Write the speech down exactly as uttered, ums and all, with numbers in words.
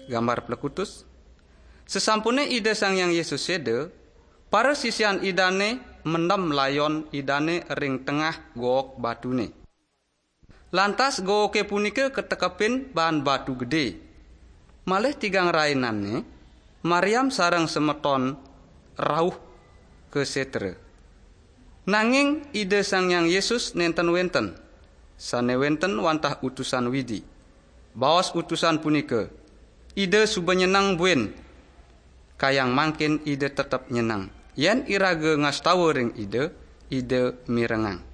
Gambar plekutus. Sesampune Ida Sang Hyang Yesus seda, para sisian Idane mendem layon Idane ring tengah gook batune. Lantas gooke punika katekepin baan batu gede. Malih tigang rainanne, Mariam sareng semeton rauh ka setra. Nanging Ida Sang Hyang Yesus nenten wenten, sane wenten wantah utusan Widi. Baos utusan punika, "Ida suba nyeneng buin. Kayang mangkin Ida tetep nyeneng. Yen iraga ngastawa ring Ida, Ida mirengang."